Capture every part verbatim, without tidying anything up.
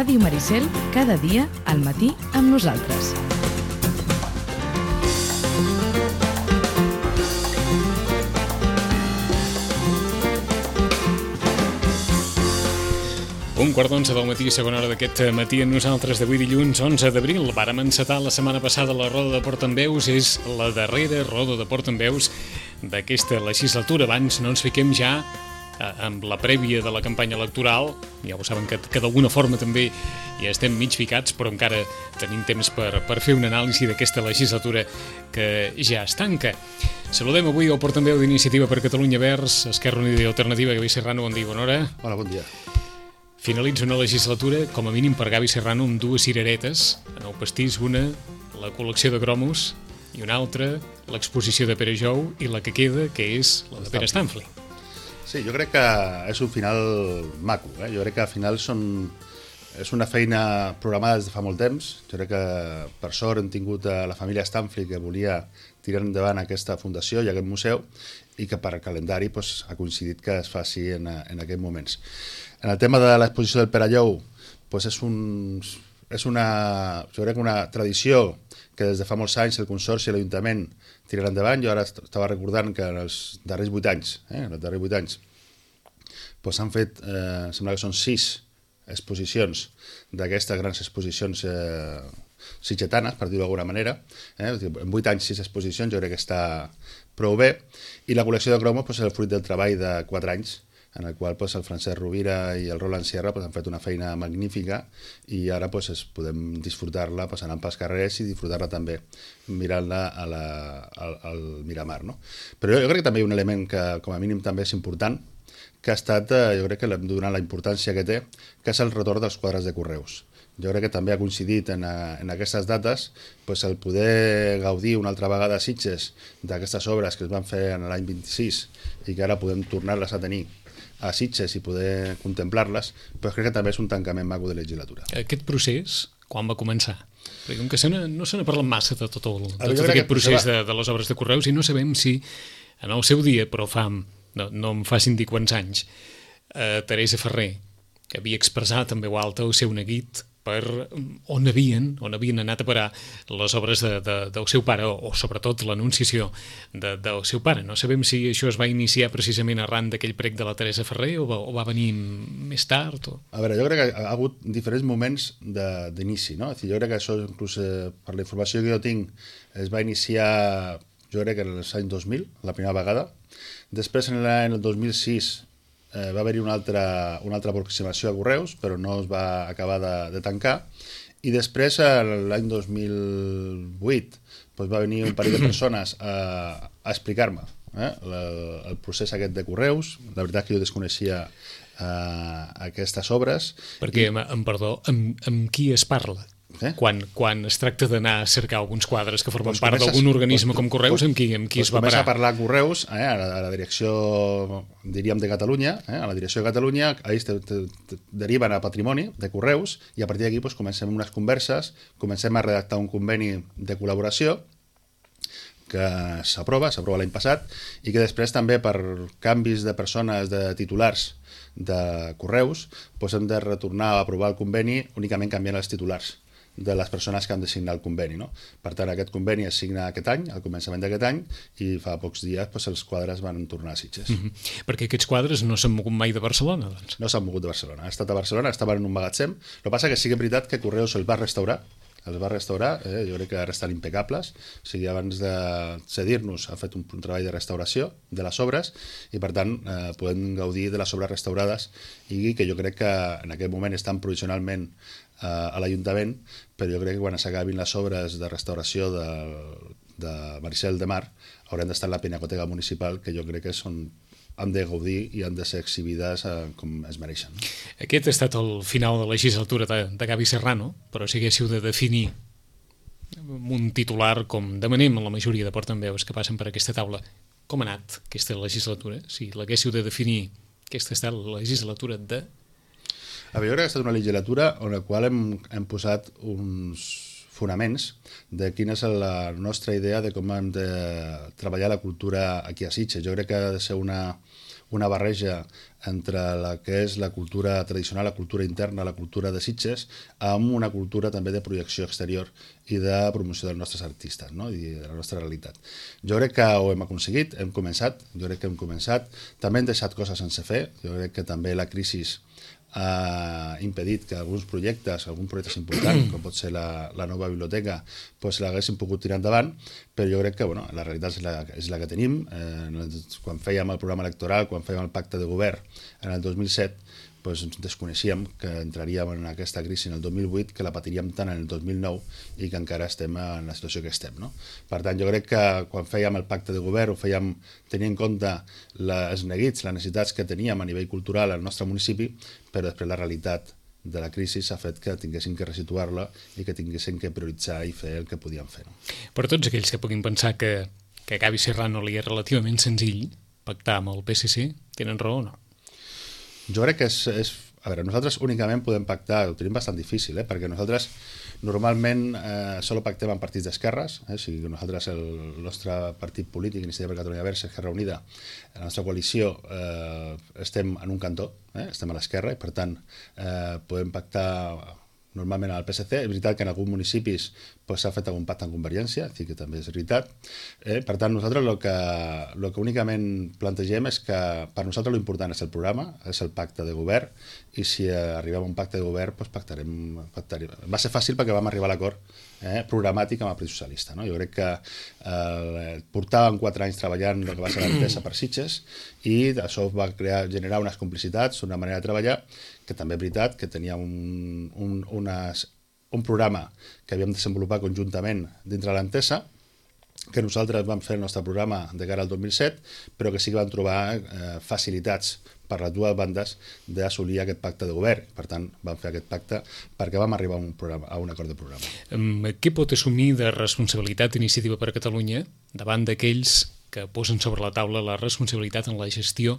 Ràdio Maricel, cada dia al matí amb nosaltres. Un quart d'onze del matí, segona hora d'aquest matí amb nosaltres d'avui dilluns onze d'abril. Vàrem encetar la setmana passada la roda de portaveus, és la darrera roda de portaveus d'aquesta legislatura. Abans no ens fiquem ja amb la prèvia de la campanya electoral, ja ho saben que, que d'alguna forma també ja estem mig ficats, però encara tenim temps per, per fer una anàlisi d'aquesta legislatura que ja es tanca. Saludem avui el portaveu d'Iniciativa per Catalunya Verds, Esquerra Unida i Alternativa, Gavi Serrano. Bon dia, bona hora. Hola, bon dia. Finalitza una legislatura, com a mínim per Gavi Serrano, amb dues cireretes en el pastís, una, la col·lecció de cromos, i una altra, l'exposició de Pere Jou, i la que queda, que és la de Pere Stanfli. Sí, jo crec que és un final maco, eh? Jo crec que al final són, és una feina programada des de fa molt temps. Jo crec que per sort hem tingut a la família Stanfli, que volia tirar endavant aquesta fundació i aquest museu, i que per calendari doncs, ha coincidit que es faci en, en aquests moments. En el tema de l'exposició del Pere Jou, doncs és, un, és una, jo crec una tradició que des de fa molts anys el Consorci i l'Ajuntament tiraran endavant. Jo ara estava recordant que en els darrers vuit anys, eh, en els darrers vuit anys, doncs s'han fet, eh, sembla que són sis exposicions d'aquestes grans exposicions eh, sitgetanes, per dir-ho d'alguna manera. Eh? En vuit anys, sis exposicions, jo crec que està prou bé. I la col·lecció de cromos doncs, és el fruit del treball de quatre anys, en el qual pues, el Francesc Rovira i el Roland Sierra pues, han fet una feina magnífica i ara pues, es podem disfrutar-la pues, anant pels carrers i disfrutar-la també mirant-la a la, al, al Miramar. No? Però jo, jo crec que també hi ha un element que com a mínim també és important, que ha estat, jo crec que l'hem de donar la importància que té, que és el retorn dels quadres de correus. Jo crec que també ha coincidit en, en aquestes dates pues, el poder gaudir una altra vegada a Sitges d'aquestes obres que es van fer en l'any vint-i-sis i que ara podem tornar-les a tenir a Sitges i poder contemplar-les, però crec que també és un tancament maco de legislatura. Aquest procés, quan va començar? Perquè com que se no se n'ha parlat massa de tot, el, de tot tot aquest procés de, de les obres de correus i no sabem si en el seu dia, però fa, no, no em facin dir quants anys, eh, Teresa Ferrer, que havia expressat en veu alta el seu neguit per on havien, on havien anat a parar les obres de, de, del seu pare, o, o sobretot l'anunciació de, del seu pare. No sabem si això es va iniciar precisament arran d'aquell prec de la Teresa Ferrer o va, o va venir més tard. O... A veure, jo crec que ha hagut diferents moments d'inici, no? Jo crec que això, inclús eh, per la informació que jo tinc, es va iniciar, jo crec que en els anys dos mil, la primera vegada. Després, en l'any dos mil sis, Eh, va haver-hi una altra, una altra aproximació a correus, però no es va acabar de, de tancar. I després, l'any dos mil vuit, doncs va venir un parell de persones a, a explicar-me eh, la, el procés aquest de correus. La veritat que jo desconeixia eh, aquestes obres. Perquè, I... em perdó, amb, amb qui es parla? Eh? Quan, quan es tracta d'anar a cercar alguns quadres que formen pues part d'algun organisme pues, com Correus, pues, amb qui, amb qui pues es va parar? Comença a parlar a Correus, eh, a, la, a la direcció, diríem, de Catalunya, eh, a la direcció de Catalunya, ells te, te, te deriven a Patrimoni de Correus, i a partir d'aquí pues, comencem unes converses, comencem a redactar un conveni de col·laboració, que s'aprova, s'aprova l'any passat, i que després també per canvis de persones, de titulars de Correus, pues, hem de retornar a aprovar el conveni únicament canviant els titulars de les persones que han de signar el conveni. No? Per tant, aquest conveni es signa aquest any, al començament d'aquest any, i fa pocs dies doncs, els quadres van tornar a Sitges. Mm-hmm. Perquè aquests quadres no s'han mogut mai de Barcelona, doncs? No s'han mogut de Barcelona. Ha estat a Barcelona, estaven en un magatzem. El que passa que sí que és veritat que Correus els va restaurar, els va restaurar, eh? Jo crec que ara estan impecables, o sigui, abans de cedir-nos ha fet un, un treball de restauració de les obres i per tant eh, podem gaudir de les obres restaurades i que jo crec que en aquest moment estan provisionalment eh, a l'Ajuntament, però jo crec que quan s'acabin les obres de restauració de, de Maricel de Mar haurem d'estar en la Pinacoteca Municipal, que jo crec que són han de gaudir i han de ser exhibides eh, com es mereixen. Aquest ha estat el final de la legislatura de, de Gavi Serrano, però si haguéssiu de definir un titular com demanem a la majoria de portaveus que passen per aquesta taula, com ha anat aquesta legislatura? Si l'haguéssiu de definir, aquesta ha estat la legislatura de... A veure, ha estat una legislatura on la qual hem, hem posat uns fonaments de quina és la nostra idea de com hem de treballar la cultura aquí a Sitges. Jo crec que ha de ser una, una barreja entre la que és la cultura tradicional, la cultura interna, la cultura de Sitges, amb una cultura també de projecció exterior i de promoció dels nostres artistes, no? I de la nostra realitat. Jo crec que ho hem aconseguit, hem començat, jo crec que hem començat, també hem deixat coses sense fer, jo crec que també la crisi ha impedit que alguns projectes, alguns projectes importants, com pot ser la, la nova biblioteca, pues l'haguessin pogut tirar endavant, però jo crec que bueno, la realitat és la, és la que tenim. Eh, quan fèiem el programa electoral, quan fèiem el pacte de govern en el dos mil set, pues ens desconeixíem que entraríem en aquesta crisi en el dos mil vuit, que la patiríem tant en el dos mil nou i que encara estem en la situació que estem, no? Per tant, jo crec que quan fèiem el pacte de govern ho fèiem tenint en compte les neguits, les necessitats que teníem a nivell cultural al nostre municipi, però després la realitat de la crisi s'ha fet que tinguéssim que resituar-la i que tinguéssim que prioritzar i fer el que podíem fer. No? Per tots aquells que puguin pensar que, que Gavi Serrano li és relativament senzill pactar amb el P S C, tenen raó o no? Jo crec que és, és... A veure, nosaltres únicament podem pactar, ho tenim bastant difícil, eh? Perquè nosaltres normalment eh, solo pactem amb partits d'esquerres, eh? O sigui que nosaltres, el, el nostre partit polític, Iniciativa per Catalunya Verds, Esquerra Unida, la nostra coalició, eh, estem en un cantó, eh? Estem a l'esquerra i per tant eh, podem pactar normalment al P S C. És veritat que en alguns municipis pues, s'ha fet algun pacte en Convergència, que també és veritat. Eh? Per tant, nosaltres el que, el que únicament plantegem és que per nosaltres l'important és el programa, és el pacte de govern, i si arribem a un pacte de govern, pues, pactarem, pactarem. Va ser fàcil perquè vam arribar a l'acord eh, programàtic amb el Partit Socialista. No? Jo crec que eh, portàvem quatre anys treballant el que va ser l'entesa per Sitges i això va crear, generar unes complicitats, una manera de treballar, que també és veritat que tenia un, un, unes, un programa que havíem desenvolupat conjuntament dintre l'entesa, que nosaltres vam fer el nostre programa de cara al dos mil set, però que sí que vam trobar eh, facilitats per les dues bandes d'assolir aquest pacte de govern. Per tant, vam fer aquest pacte perquè vam arribar a un, programa, a un acord de programa. Um, què pot assumir de responsabilitat Iniciativa per Catalunya davant d'aquells que posen sobre la taula la responsabilitat en la gestió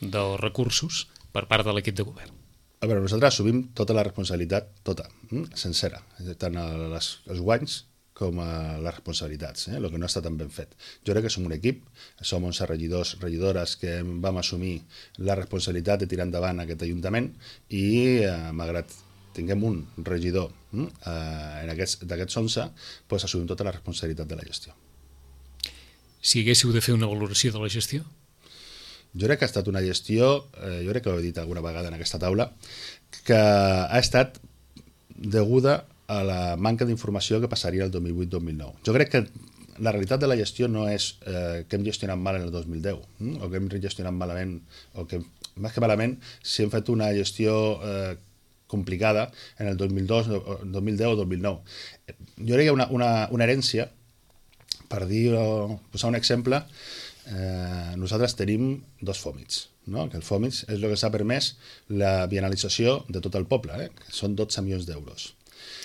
dels recursos per part de l'equip de govern? A veure, nosaltres assumim tota la responsabilitat, tota, sencera, tant les, els guanys com a les responsabilitats, eh? El que no està tan ben fet. Jo crec que som un equip, som onze regidors, regidores que vam assumir la responsabilitat de tirar endavant aquest ajuntament i, eh, malgrat tinguem un regidor eh, en aquests, d'aquests onze, doncs assumim tota la responsabilitat de la gestió. Si haguéssiu de fer una valoració de la gestió? Jo crec que ha estat una gestió, eh, jo crec que ho he dit alguna vegada en aquesta taula, que ha estat deguda a la manca d'informació que passaria el dos mil vuit dos mil nou. Jo crec que la realitat de la gestió no és eh, que hem gestionat mal en el dos mil deu, hm? o que hem gestionat malament, o que, més que malament, si hem fet una gestió eh, complicada en el dos mil dos, dos mil deu o dos mil nou. Jo crec que hi ha una, una, una herència, per dir, o posar un exemple, eh, nosaltres tenim dos fòmits, no? Que el fòmits és el que s'ha permès la bienalització de tot el poble, eh? Que són dotze milions d'euros.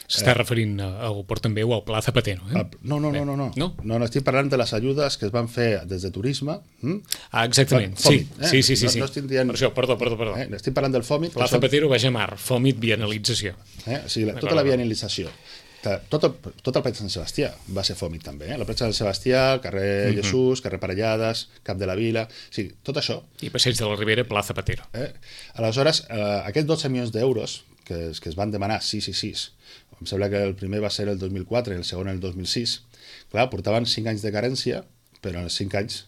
S'està eh, referint al Portambeu o al Pla Zapatero, eh? No, no, no, no, no. no? No, no, estic parlant de les ajudes que es van fer des de turisme. Hm? Ah, exactament, Fòmit, sí, eh? sí, sí, sí, no, sí. no estic dient... Per això, perdó, perdó, perdó. Eh? Estic parlant del fòmit. Pla Zapatero, Baix a Mar, fòmit, bienalització. Eh? O sigui, la, tota la bienalització. Tot el, tot el Platja Sant Sebastià va ser fòmit també, eh? La Platja Sant Sebastià, carrer mm-hmm. Jesús, carrer Parellades, Cap de la Vila, o sigui, tot això. I Passeig de la Ribera, Pla Zapatero. Eh? Aleshores, eh, aquests dotze milions d'euros que, que es van demanar sis i sis, em sembla que el primer va ser el dos mil quatre i el segon el dos mil sis, clar, portaven cinc anys de carència, però en els cinc anys,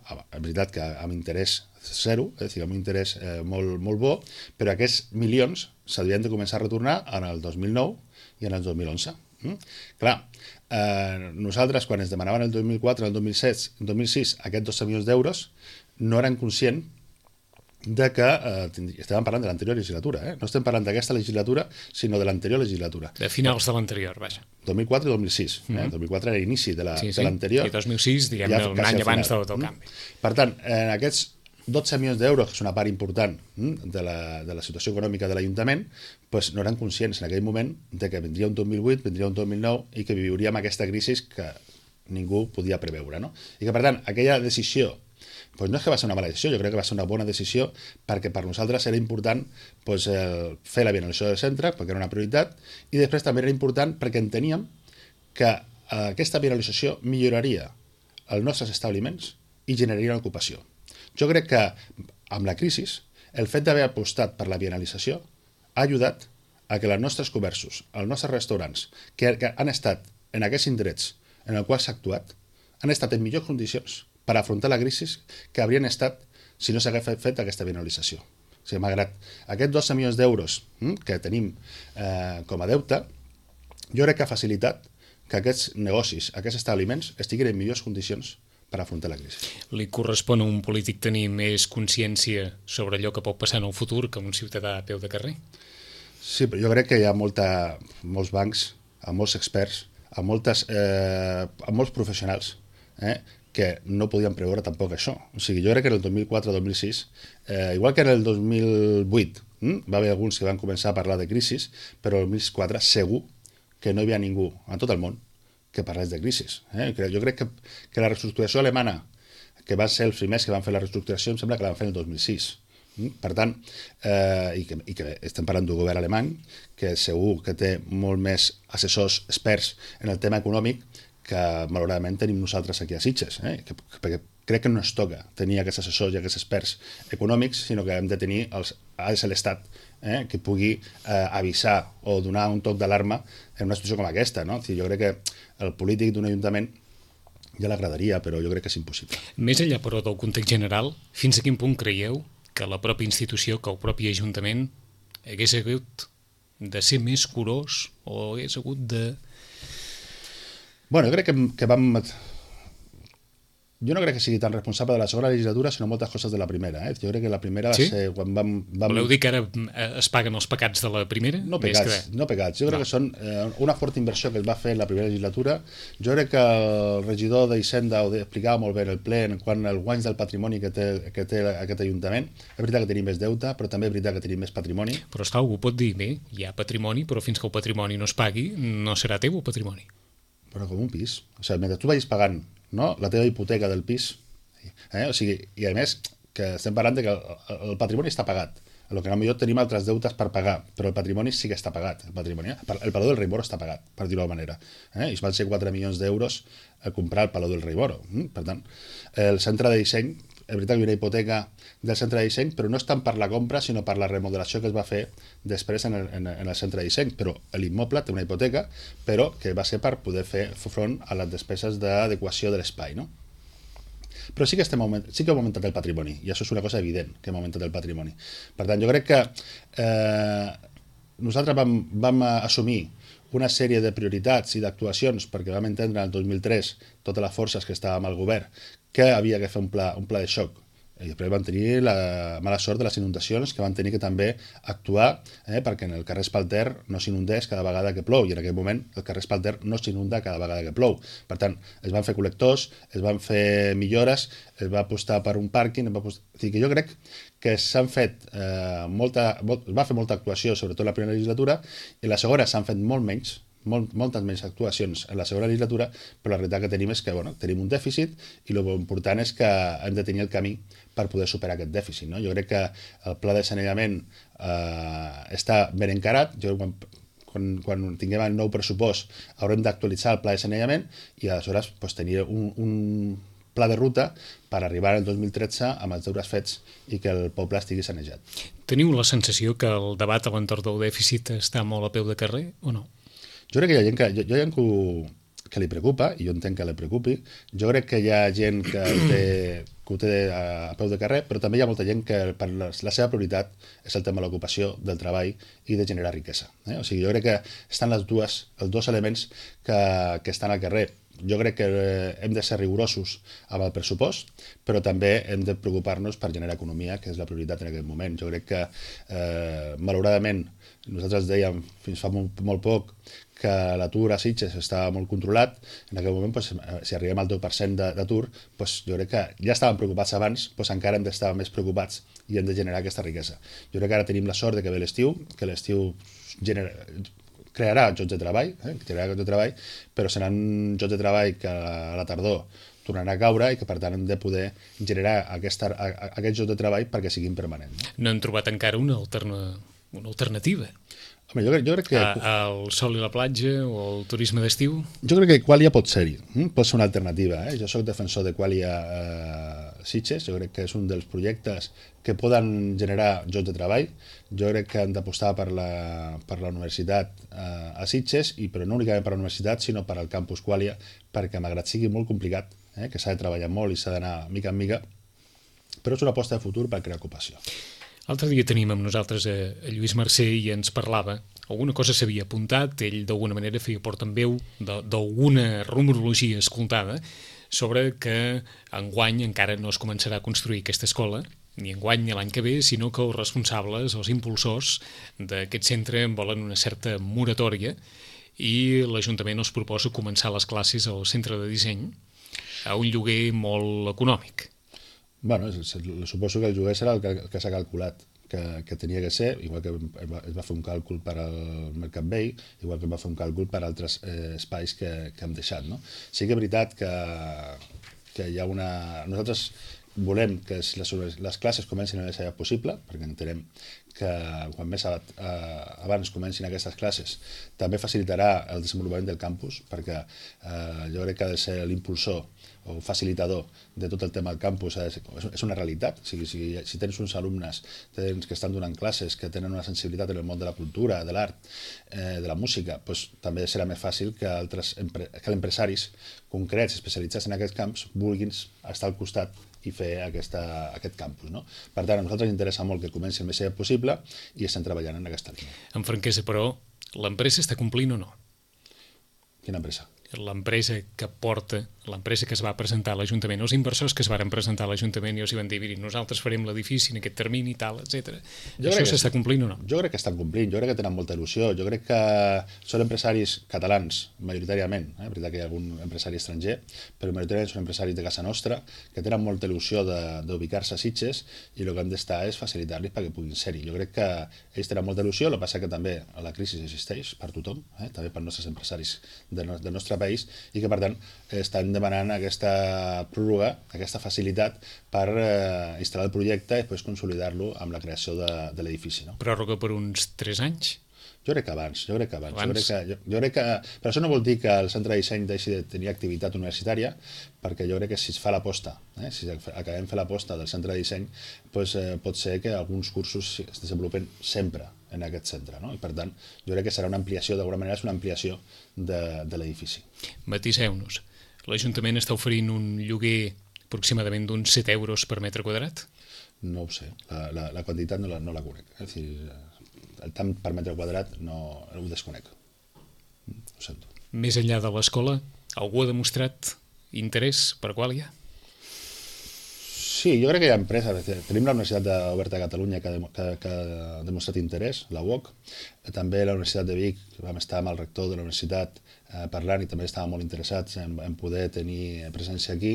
és veritat que amb interès zero, és a dir, amb un interès eh, molt, molt bo, però aquests milions s'havien de començar a retornar en el dos mil nou i en el dos mil onze. Mm? Clar, eh, nosaltres quan ens demanaven el dos mil quatre, el dos mil set, el dos mil sis aquests dotze milions d'euros, no eren conscients de que eh, estàvem parlant de l'anterior legislatura, eh? No estem parlant d'aquesta legislatura, sinó de l'anterior legislatura. De finals de l'anterior, vaja. dos mil quatre i dos mil sis. Mm-hmm. eh? dos mil quatre era l'inici de l'anterior. Sí, sí. I dos mil sis, diguem-ne, ja, un any abans del, del canvi. Per tant, en aquests dotze milions d'euros, que és una part important de la, de la situació econòmica de l'Ajuntament, doncs no eren conscients en aquell moment de que vindria un dos mil vuit, vindria un dos mil nou i que viuríem aquesta crisi que ningú podia preveure. No? I que, per tant, aquella decisió doncs no és que va ser una mala decisió, jo crec que va ser una bona decisió perquè per nosaltres era important doncs, eh, fer la bienalització del centre, perquè era una prioritat, i després també era important perquè enteníem que eh, aquesta bienalització milloraria els nostres establiments i generaria ocupació. Jo crec que amb la crisi, el fet d'haver apostat per la bienalització ha ajudat a que els nostres comerços, els nostres restaurants, que, que han estat en aquests indrets en el qual s'ha actuat, han estat en millors condicions per afrontar la crisi que haurien estat si no s'hagués fet aquesta bienalització. O sigui, malgrat aquests dotze milions d'euros hm, que tenim eh, com a deute, jo crec que ha facilitat que aquests negocis, aquests establiments, estiguin en millors condicions per afrontar la crisi. Li correspon a un polític tenir més consciència sobre allò que pot passar en el futur que un ciutadà a peu de carrer? Sí, però jo crec que hi ha molta, molts bancs, amb molts experts, amb, moltes, eh, amb molts professionals eh, que no podien preveure tampoc això. O sigui, jo crec que en el dos mil quatre dos mil sis, eh, igual que en el dos mil vuit, hm, va haver alguns que van començar a parlar de crisi, però el dos mil quatre segur que no hi havia ningú en tot el món que parlés de crisi. Eh? Jo crec que, que la reestructuració alemana, que van ser els primers que van fer la reestructuració, em sembla que la van fer el dos mil sis. Per tant, eh, i, que, i que estem parlant d'un govern alemany que segur que té molt més assessors experts en el tema econòmic que malauradament tenim nosaltres aquí a Sitges, eh? que, perquè crec que no ens toca tenir aquests assessors i aquests experts econòmics, sinó que hem de tenir els, és l'Estat eh? que pugui eh, avisar o donar un toc d'alarma en una situació com aquesta. No? Jo crec que el polític d'un ajuntament ja l'agradaria, però jo crec que és impossible. Més enllà, però, del context general, fins a quin punt creieu que la pròpia institució, que el propi Ajuntament hagués hagut de ser més curós o hagués hagut de... Bueno, jo crec que, que vam... Jo no crec que sigui tan responsable de la segona legislatura, sinó moltes coses de la primera. Eh? Jo crec que la primera va sí? ser quan vam, vam... Voleu dir que ara es paguen els pecats de la primera? No pecats, que... no pecats. Jo crec no. que són eh, una forta inversió que es va fer en la primera legislatura. Jo crec que el regidor d'Hisenda ho explicava molt bé en el ple en quant als guanys del patrimoni que té, que té aquest Ajuntament. És veritat que tenim més deute, però també és veritat que tenim més patrimoni. Però esclar, algú pot dir, bé, hi ha patrimoni, però fins que el patrimoni no es pagui, no serà teu el patrimoni. Però com un pis. O sigui, mentre tu vagis pagant no, la teva hipoteca del pis, eh? O sigui, i a més que estem parlant de que el, el patrimoni està pagat, el que potser tenim altres deutes per pagar, però el patrimoni sí que està pagat, el patrimoni, eh? El Palau del Rei Moro està pagat, per dir-ho d'alguna manera, eh? I van ser quatre milions d'euros a comprar el Palau del Rei Moro. Per tant, el centre de disseny, és veritat que hi ha una hipoteca del centre de disseny, però no és tant per la compra, sinó per la remodelació que es va fer després en el, en el centre de disseny, però l'immoble té una hipoteca, però que va ser per poder fer front a les despeses d'adequació de l'espai, no? Però sí que, estem augment... sí que hem augmentat el patrimoni, i això és una cosa evident, que hem augmentat el patrimoni. Per tant, jo crec que eh, nosaltres vam, vam assumir una sèrie de prioritats i d'actuacions perquè vam entendre en el dos mil tres totes les forces que estàvem al govern que havia de fer un pla, un pla de xoc. I després van tenir la mala sort de les inundacions, que van tenir que també actuar eh, perquè en el carrer Espalter no s'inundés cada vegada que plou, i en aquell moment el carrer Espalter no s'inunda cada vegada que plou. Per tant, es van fer col·lectors, es van fer millores, es va apostar per un pàrquing, es va apostar... O sigui que jo crec que s'han fet eh, molta... Molt, es va fer molta actuació, sobretot en la primera legislatura, i la segona s'han fet molt menys, Molt, moltes més actuacions en la segona legislatura, però la realitat que tenim és que bueno, tenim un dèficit i el important és que hem de tenir el camí per poder superar aquest dèficit. No? Jo crec que el pla de saneament eh, està ben encarat. Jo, quan, quan, quan tinguem el nou pressupost haurem d'actualitzar el pla de saneament i aleshores pues, tenir un, un pla de ruta per arribar al dos mil tretze amb els deures fets i que el poble estigui sanejat. Teniu la sensació que el debat a l'entorn del dèficit està molt a peu de carrer o no? Jo crec que hi ha gent que, hi ha gent que, ho, que li preocupa, i jo entenc que li preocupi. Jo crec que hi ha gent que ho té, que ho té a, a peu de carrer, però també hi ha molta gent que per la, la seva prioritat és el tema de l'ocupació, del treball i de generar riquesa. Eh? O sigui, jo crec que estan les dues, els dos elements que, que estan al carrer. Jo crec que hem de ser rigorosos amb el pressupost, però també hem de preocupar-nos per generar economia, que és la prioritat en aquest moment. Jo crec que, eh, malauradament, nosaltres dèiem fins fa molt, molt poc que l'atur a Sitges estava molt controlat. En aquell moment, pues, si arribem al deu per cent d'atur, pues, jo crec que ja estàvem preocupats abans, pues, encara hem d'estar més preocupats i hem de generar aquesta riquesa. Jo crec que ara tenim la sort de que ve l'estiu, que l'estiu genera... crearà llocs de treball, eh? crearà llocs de treball, però seran llocs de treball que a la tardor tornaran a caure i que per tant hem de poder generar aquesta, aquests llocs de treball perquè siguin permanents. No, no hem trobat encara una, alterna, una alternativa. Home, jo, crec, jo crec que... A, el sol i la platja o el turisme d'estiu? Jo crec que Qualia pot ser-hi, hm? pot ser una alternativa. Eh? Jo sóc defensor de Qualia eh, Sitges, jo crec que és un dels projectes que poden generar llocs de treball. Jo crec que han d'apostar per, la, per la universitat eh, a Sitges, i però no únicament per la universitat, sinó per al campus Qualia, perquè malgrat sigui molt complicat, eh? que s'ha de treballar molt i s'ha d'anar mica en mica, però és una aposta de futur per crear ocupació. L'altre dia tenim amb nosaltres a, a Lluís Mercè i ens parlava, alguna cosa s'havia apuntat, ell d'alguna manera feia portaveu d'alguna rumorologia escoltada sobre que enguany encara no es començarà a construir aquesta escola, ni enguany ni l'any que ve, sinó que els responsables, els impulsors d'aquest centre volen una certa moratòria i l'Ajuntament els proposa començar les classes al centre de disseny a un lloguer molt econòmic. Bueno, suposo que el lloguer serà el que, el que s'ha calculat que, que tenia que ser, igual que es va fer un càlcul per al Mercat Vell, igual que es va fer un càlcul per a altres eh, espais que, que hem deixat. No? Sí que és veritat que, que hi ha una... Nosaltres volem que les, les classes comencin el més aviat possible, perquè entenem que quan més abans comencin aquestes classes també facilitarà el desenvolupament del campus, perquè eh, jo crec que ha de ser l'impulsor o facilitador de tot el tema del campus, és una realitat. O sigui, si, si tens uns alumnes tens que estan donant classes, que tenen una sensibilitat en el món de la cultura, de l'art, eh, de la música, doncs també serà més fàcil que altres que empresaris concrets especialitzats en aquests camps vulguin estar al costat i fer aquesta, aquest campus. No? Per tant, a nosaltres ens interessa molt que comenci el més aviat possible i estem treballant en aquesta línia. En franquesa, però, l'empresa està complint o no? Quina empresa? L'empresa que porta, l'empresa que es va presentar a l'Ajuntament, els inversors que es van presentar a l'Ajuntament i els van dir, miri, nosaltres farem l'edifici en aquest termini i tal, etcètera. Això s'està complint o no? Jo crec que estan complint, jo crec que tenen molta il·lusió, jo crec que són empresaris catalans, majoritàriament, eh? És veritat que hi ha algun empresari estranger, però majoritàriament són empresaris de casa nostra, que tenen molta il·lusió d'ubicar-se a Sitges, i el que hem d'estar és facilitar-los perquè puguin ser-hi. Jo crec que ells tenen molta il·lusió, el que passa que també la crisi existeix per tothom, eh? també pels nostres empresaris del nostre país, i que per tant estan demanant aquesta pròrroga, aquesta facilitat per eh, instal·lar el projecte i després consolidar-lo amb la creació de, de l'edifici. No? Pròrroga per uns tres anys? Jo crec que abans, jo crec que abans. abans. Jo crec que, jo, jo crec que, però això no vol dir que el centre de disseny deixi de tenir activitat universitària, perquè jo crec que si es fa l'aposta, eh, si acabem fer l'aposta del centre de disseny, doncs, eh, pot ser que alguns cursos es desenvolupen sempre en aquest centre. No? I per tant, jo crec que serà una ampliació, d'alguna manera és una ampliació de, de l'edifici. Matiseu-nos. L'Ajuntament està oferint un lloguer aproximadament d'uns set euros per metre quadrat? No ho sé, la, la, la quantitat no la, no la conec. És a dir, el tant per metre quadrat no ho desconec. Ho sento. Més enllà de l'escola, algú ha demostrat interès per Qualia? Sí, jo crec que hi ha empreses. Tenim la Universitat Oberta de Catalunya que, que, que ha demostrat interès, la U O C. També la Universitat de Vic, que vam estar amb el rector de la universitat eh, parlant i també estàvem molt interessats en, en poder tenir presència aquí.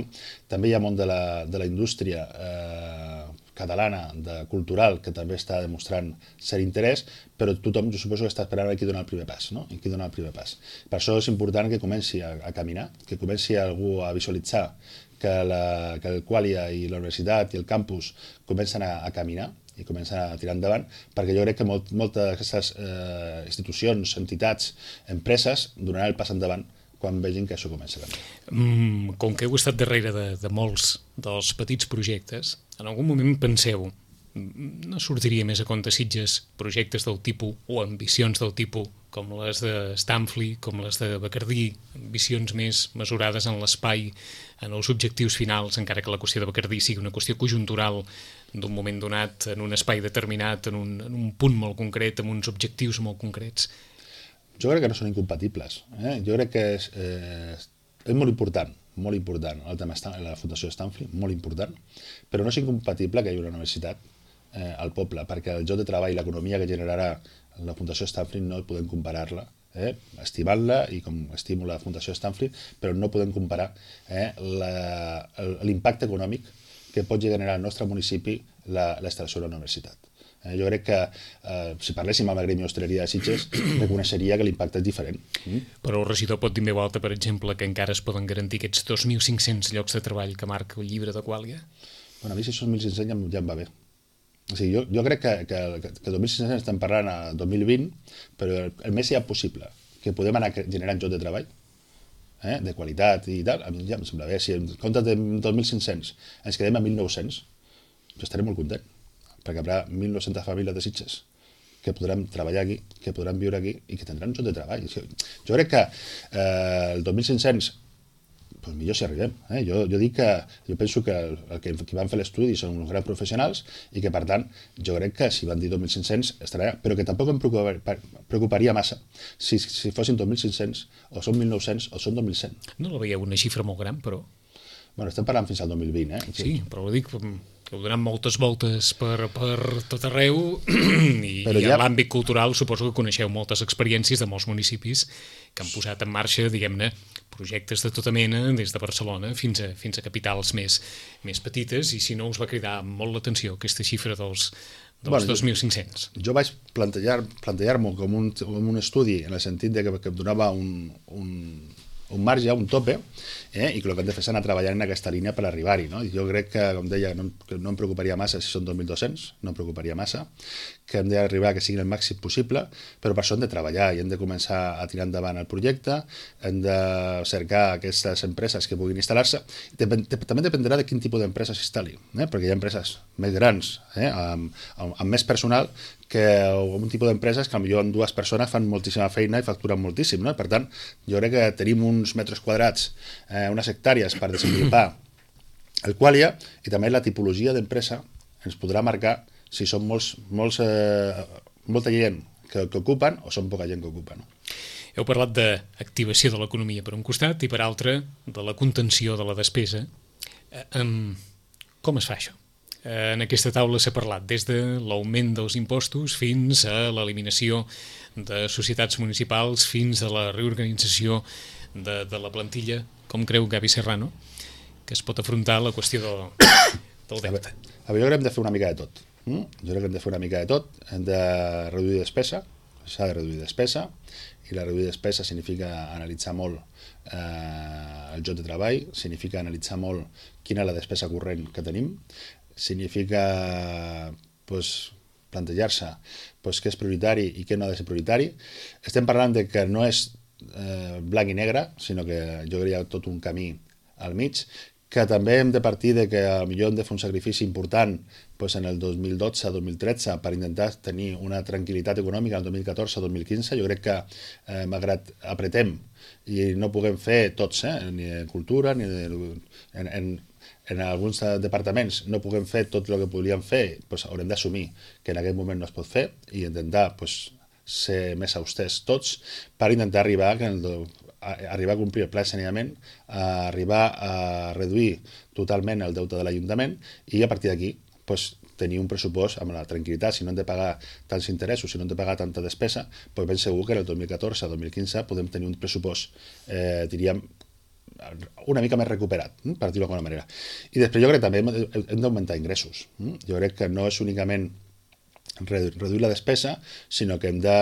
També hi ha món de la, de la indústria eh, catalana, de cultural, que també està demostrant cert interès, però tothom, jo suposo que està esperant qui dona el primer pas, no? I qui dona el primer pas. Per això és important que comenci a, a caminar, que comenci algú a visualitzar que, la, que el Qualia i la universitat i el campus comencen a, a caminar i comencen a tirar endavant, perquè jo crec que molt, moltes d'aquestes eh, institucions, entitats, empreses donaran el pas endavant quan vegin que això comença a canviar. Mm, com que heu estat darrere de, de molts dels petits projectes, en algun moment penseu, no sortiria més a compte Sitges projectes del tipus o ambicions del tipus com les de Stanfli, com les de Bacardí, ambicions més mesurades en l'espai, en els objectius finals, encara que la qüestió de Bacardí sigui una qüestió conjuntural d'un moment donat, en un espai determinat, en un, en un punt molt concret, amb uns objectius molt concrets. Jo crec que no són incompatibles. Eh? Jo crec que és, eh, és molt important, molt important el tema de la Fundació Stanfli, molt important, però no és incompatible que hi hagi una universitat eh, al poble, perquè el lloc de treball i l'economia que generarà la Fundació Stanfli no podem comparar-la, eh, estimant-la i com estimo la Fundació Stanfli, però no podem comparar eh, l'impacte econòmic que pot generar al nostre municipi la, la instal·lació de la universitat. Eh, jo crec que eh, si parléssim amb el Gremi d'Hostaleria de Sitges reconeixeria que l'impacte és diferent. Mm? Però el regidor pot dir en veu alta, per exemple, que encara es poden garantir aquests dos mil cinc-cents llocs de treball que marca el llibre de Qualia? Bueno, a mi si són mil cinc-cents ja, ja em va bé. O sigui, jo, jo crec que, que, que dos mil cinc-cents estem parlant a dos mil vint, però el, el més ja possible que podem anar generant llocs de treball, eh, de qualitat i tal, a mi ja em sembla bé. Si en comptes de dos mil cinc-cents ens quedem a mil nou-cents, jo estaré molt content, perquè hi haurà mil nou-centes famílies de Sitges que podran treballar aquí, que podran viure aquí i que tindran llocs de treball. Jo crec que eh, el dos mil cinc-cents pues millor si arribem. Eh? Jo, jo dic que jo penso que el, el que qui van fer l'estudi són uns grans professionals i que, per tant, jo crec que si van dir dos mil cinc-cents estarà allà, però que tampoc em preocuparia, preocuparia massa si, si fossin dos mil cinc-cents o són mil nou-cents o són dos mil cent. No la veieu una xifra molt gran, però... Bueno, estem parlant fins al dos mil vint, eh? Sí, però ho dic que heu donat moltes voltes per, per tot arreu i, ja... i en l'àmbit cultural suposo que coneixeu moltes experiències de molts municipis que han posat en marxa, diguem-ne, projectes de tota mena, des de Barcelona fins a, fins a capitals més, més petites, i si no us va cridar molt l'atenció aquesta xifra dels, dels bueno, dos mil cinc-cents. Jo, jo vaig plantejar, plantejar-m'ho com, un, com un estudi en el sentit de que, que em donava un, un, un marge, un tope, eh? I que el que hem de fer és anar treballant en aquesta línia per arribar-hi. No? Jo crec que, com deia, no, que no em preocuparia massa si són dos mil dos-cents, no em preocuparia massa, que hem d'arribar a que siguin el màxim possible, però per això hem de treballar i hem de començar a tirar endavant el projecte, hem de cercar aquestes empreses que puguin instal·lar-se. També dependrà de quin tipus d'empresa s'instal·li, eh? Perquè hi ha empreses més grans, eh? amb, amb, amb més personal, que un tipus d'empreses que potser amb dues persones fan moltíssima feina i facturen moltíssim. No? Per tant, jo crec que tenim uns metres quadrats, eh, unes hectàrees per desenvolupar el qualia, i també la tipologia d'empresa ens podrà marcar si són molts, molts, eh, molta gent que, que ocupen o són poca gent que ocupa. No? Heu parlat d'activació de l'economia per un costat i per altre de la contenció de la despesa. Eh, um, com es fa això? Eh, en aquesta taula s'ha parlat des de l'augment dels impostos fins a l'eliminació de societats municipals, fins a la reorganització de, de la plantilla. Com creu Gavi Serrano que es pot afrontar la qüestió del, del deute? A veure, jo crec que hem de fer una mica de tot. Mm? Jo crec que hem de fer una mica de tot. Hem de reduir despesa, s'ha de reduir despesa, i la reduir despesa significa analitzar molt eh, el lloc de treball, significa analitzar molt quina és la despesa corrent que tenim, significa pues, plantejar-se pues, què és prioritari i què no ha de ser prioritari. Estem parlant de que no és eh, blanc i negre, sinó que jo crec que hi ha tot un camí al mig, que també hem de partir de que potser hem de fer un sacrifici important pues, en el dos mil dotze dos mil tretze per intentar tenir una tranquil·litat econòmica en el dos mil catorze dos mil quinze. Jo crec que, eh, malgrat apretem i no puguem fer tots, eh, ni en cultura, ni en, en, en alguns departaments no puguem fer tot el que podríem fer, doncs haurem d'assumir que en aquest moment no es pot fer i intentar doncs, ser més austers tots per intentar arribar, que el, a, arribar a complir el pla de saneament, a arribar a reduir totalment el deute de l'Ajuntament i a partir d'aquí doncs, tenir un pressupost amb la tranquil·litat. Si no hem de pagar tants interessos, si no hem de pagar tanta despesa, doncs ben segur que en el dos mil catorze dos mil quinze podem tenir un pressupost, eh, diríem, una mica més recuperat, per dir-ho d'alguna manera. I després jo crec que també hem d'augmentar ingressos. Jo crec que no és únicament reduir la despesa, sinó que hem de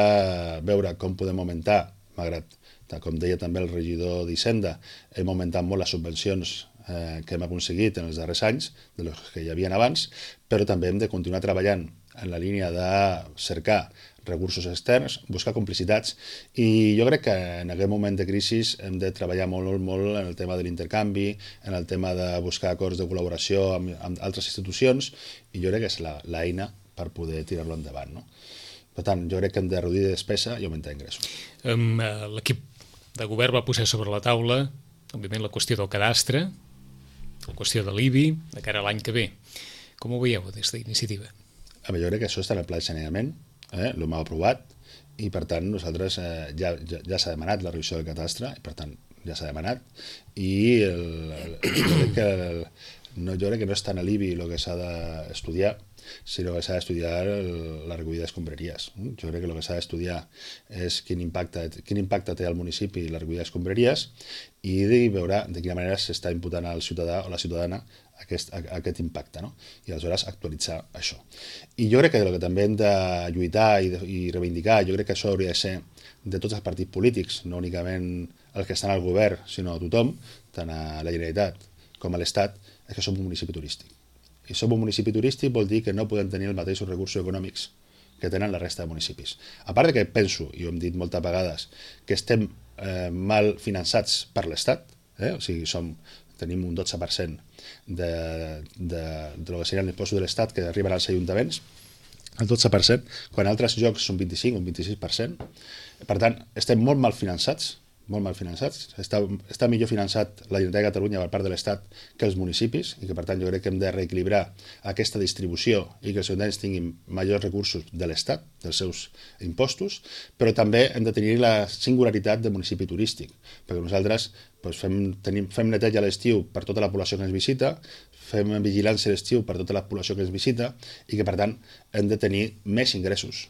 veure com podem augmentar, malgrat, com deia també el regidor d'Hisenda, hem augmentat molt les subvencions eh, que hem aconseguit en els darrers anys, de les que hi havia abans, però també hem de continuar treballant en la línia de cercar recursos externs, buscar complicitats, i jo crec que en aquest moment de crisi hem de treballar molt, molt en el tema de l'intercanvi, en el tema de buscar acords de col·laboració amb, amb altres institucions, i jo crec que és l'eina per poder tirar-lo endavant. No? Per tant, jo crec que hem de reduir despesa i augmentar ingressos. Um, L'equip de govern va posar sobre la taula, òbviament, la qüestió del cadastre, la qüestió de l'I B I, de cara a l'any que ve. Com ho veieu des d'iniciativa? Jo crec que això està en el pla de saneament, eh? l'hem aprovat, i per tant nosaltres eh, ja, ja, ja s'ha demanat la revisió del cadastre, i per tant ja s'ha demanat, i el, el, jo, crec que el, no, jo crec que no és tant l'I B I el que s'ha d'estudiar, sinó que s'ha d'estudiar la recollida d'escombraries. Jo crec que el que s'ha d'estudiar és quin impacte, quin impacte té al municipi la recollida d'escombraries i de veure de quina manera s'està imputant al ciutadà o la ciutadana aquest, aquest impacte, no? I aleshores actualitzar això. I jo crec que el que també hem de lluitar i, de, i reivindicar, jo crec que això hauria de ser de tots els partits polítics, no únicament els que estan al govern, sinó a tothom, tant a la Generalitat com a l'Estat, és que som un municipi turístic. i som un municipi turístic vol dir que no podem tenir els mateixos recursos econòmics que tenen la resta de municipis. A part de que penso, i ho hem dit moltes vegades, que estem eh, mal finançats per l'Estat, eh? O sigui, som, tenim un dotze per cent de, de, de lo que serien l'impost de l'Estat que arriben als ajuntaments, el dotze per cent, quan altres llocs són vint-i-cinc o un vint-i-sis per cent. Per tant, estem molt mal finançats, molt mal finançats. Està, està millor finançat la Generalitat de Catalunya per part de l'Estat que els municipis i que, per tant, jo crec que hem de reequilibrar aquesta distribució i que els ciutadans tinguin majors recursos de l'Estat, dels seus impostos, però també hem de tenir la singularitat de municipi turístic, perquè nosaltres doncs, fem, tenim, fem neteja a l'estiu per tota la població que ens visita, fem vigilància a l'estiu per tota la població que ens visita i que, per tant, hem de tenir més ingressos,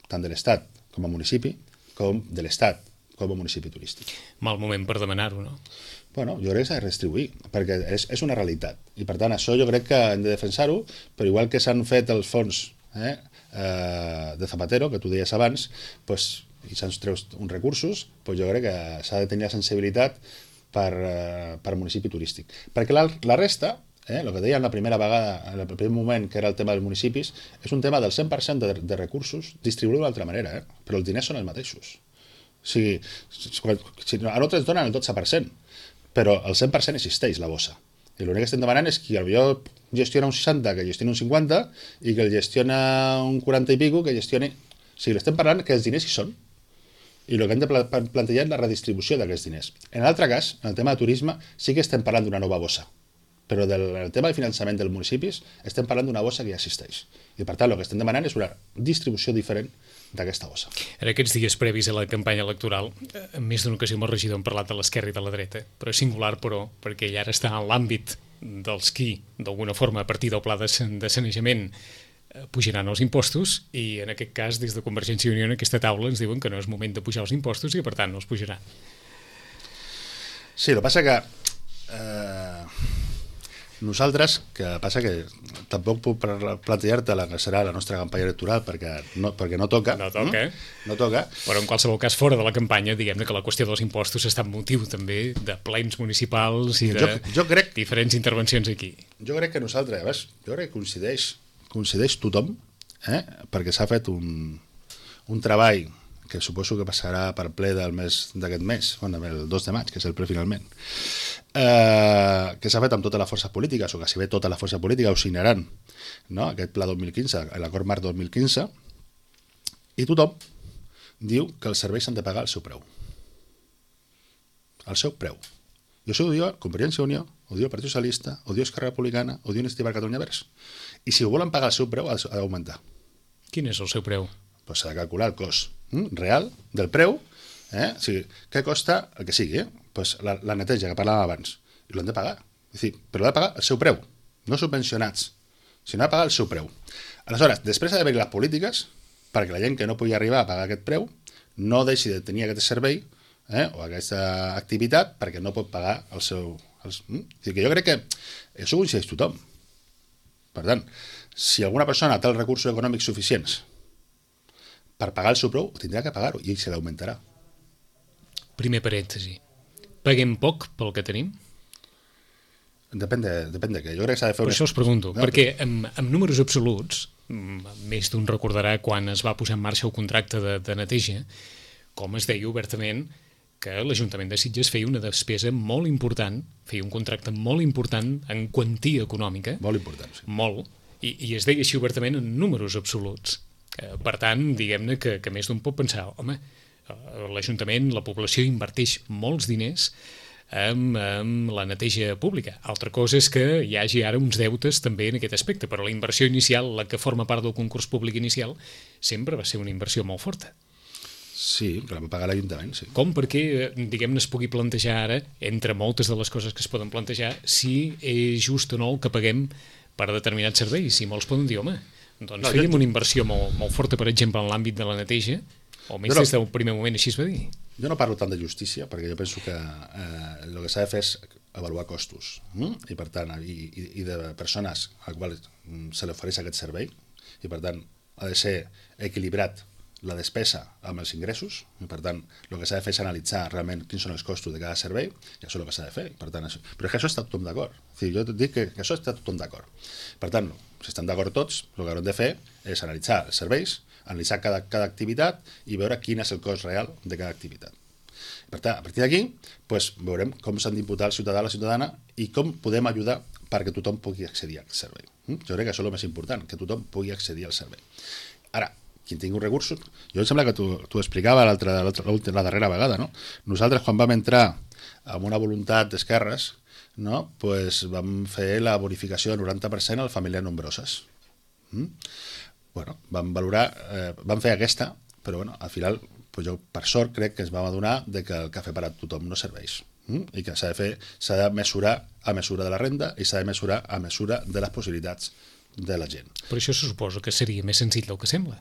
tant de l'Estat com a municipi, com de l'Estat com a municipi turístic. Mal moment per demanar-ho, no? Bueno, jo crec que s'ha de redistribuir, perquè és, és una realitat. I per tant, això jo crec que hem de defensar-ho, però igual que s'han fet els fons eh, eh, de Zapatero, que tu deies abans, pues, i s'han tret uns recursos, pues jo crec que s'ha de tenir la sensibilitat per, eh, per municipi turístic. Perquè la, la resta, eh, el que deien la primera vegada, en el primer moment, que era el tema dels municipis, és un tema del cent per cent de, de recursos distribuïts d'una altra manera, eh? Però els diners són els mateixos. O sigui, si a nosaltres ens donen el dotze per cent, però el cent per cent existeix, la bossa. I l'únic que estem demanant és que potser gestiona un seixanta, que gestioni un cinquanta, i que el gestiona un quaranta i pico, que gestioni... O sigui, l'estem parlant que els diners hi són. I el que hem de plantejar és la redistribució d'aquests diners. En l'altre cas, en el tema de turisme, sí que estem parlant d'una nova bossa. Però del tema de finançament dels municipis estem parlant d'una bossa que ja existeix. I per tant, el que estem demanant és una distribució diferent d'aquesta bossa. En aquests dies previs a la campanya electoral, en més d'una ocasió el regidor hem parlat de l'esquerra i de la dreta, però és singular, però, perquè ell ara està en l'àmbit dels qui, d'alguna forma, a partir del pla de sanejament, pujaran els impostos, i en aquest cas, des de Convergència i Unió, en aquesta taula ens diuen que no és moment de pujar els impostos i, per tant, no els pujaran. Sí, el que passa que... Eh... Nosaltres, que passa que tampoc puc plantejar-te la que serà la nostra campanya electoral perquè no, perquè no toca. No toca. Mm? No toca. Però en qualsevol cas, fora de la campanya, diguem-ne que la qüestió dels impostos està en motiu també de plens municipals i de jo, jo crec, diferents intervencions aquí. Jo crec que nosaltres, veus, jo crec que coincideix, coincideix tothom, eh? Perquè s'ha fet un, un treball que suposo que passarà per ple del mes d'aquest mes, bueno, el dos de maig, que és el ple finalment, eh, que s'ha fet amb totes les forces polítiques, o quasi bé totes les forces polítiques ho signaran, no? Aquest pla dos mil quinze, l'acord marc dos mil quinze, i tothom diu que els serveis s'han de pagar al seu preu. Al seu preu. I això ho diu Convergència i Unió, ho diu el Partit Socialista, ho diu Esquerra Republicana, ho diu Iniciativa per Catalunya Verds. I si ho volen pagar al seu preu, ha d'augmentar. Quin és el seu preu? Pues s'ha de calcular el cost mm, real del preu, eh? O sigui, què costa el que sigui, eh? Pues la, la neteja que parlàvem abans, i l'han de pagar. És dir, però l'ha de pagar el seu preu, no subvencionats, sinó de pagar el seu preu. Aleshores, després ha d'haver-hi les polítiques perquè la gent que no pugui arribar a pagar aquest preu no deixi de tenir aquest servei eh? o aquesta activitat perquè no pot pagar el seu... Els, mm? És dir, que jo crec que això ho coincideix tothom. Per tant, si alguna persona té els recursos econòmics suficients per pagar el seu preu, tindrà que pagar-ho i ell se l'augmentarà. Primer parèntesi. Paguem poc pel que tenim? Depèn de, depèn de què. Jo crec que s'ha de fer... Per una... això us pregunto, no, perquè amb, amb números absoluts, més d'un recordarà quan es va posar en marxa el contracte de, de neteja, com es deia obertament que l'Ajuntament de Sitges feia una despesa molt important, feia un contracte molt important en quantia econòmica. Molt important, sí. Molt. I, i es deia així obertament en números absoluts. Per tant, diguem-ne que, que més d'un pot pensar, home, l'Ajuntament, la població inverteix molts diners en, en la neteja pública. Altra cosa és que hi hagi ara uns deutes també en aquest aspecte, però la inversió inicial, la que forma part del concurs públic inicial, sempre va ser una inversió molt forta. Sí, que la va pagar l'Ajuntament, sí. Com perquè, diguem-ne, es pugui plantejar ara, entre moltes de les coses que es poden plantejar, si és just o no el que paguem per determinats serveis. Si molts poden dir, home, doncs no, fèiem jo... una inversió molt, molt forta, per exemple, en l'àmbit de la neteja, o almenys no, des del primer moment així es va dir. Jo no parlo tant de justícia, perquè jo penso que eh, el que s'ha de fer és avaluar costos, mm? i per tant, i, i, i de persones a les quals se li ofereix aquest servei, i per tant ha de ser equilibrat la despesa amb els ingressos, i per tant, el que s'ha de fer és analitzar realment quins són els costos de cada servei, i això és el que s'ha de fer. Per tant, això... Però és que això està tothom d'acord. Jo et dic que, que això està tothom d'acord. Per tant, si estan d'acord tots, el que haurem de fer és analitzar els serveis, analitzar cada, cada activitat i veure quin és el cost real de cada activitat. Per tant, a partir d'aquí, doncs, veurem com s'han d'imputar el ciutadà o la ciutadana i com podem ajudar perquè tothom pugui accedir al servei. Jo crec que això és el més important, que tothom pugui accedir al servei. Ara, qui tingui recursos... Jo em sembla que tu, tu explicava l'altra, l'altra, la darrera vegada, no? Nosaltres, quan vam entrar amb una voluntat d'esquerres, no? Pues vam fer la bonificació del noranta per cent a les famílies nombroses. Mm? Bueno, vam valorar, eh, vam fer aquesta, però bueno, al final, pues jo per sort crec que ens vam adonar de que el cafè per a tothom no serveix. Mm? I que s'ha de fer, s'ha de mesurar a mesura de la renda i s'ha de mesurar a mesura de les possibilitats de la gent. Per això se suposa que seria més senzill del que sembla.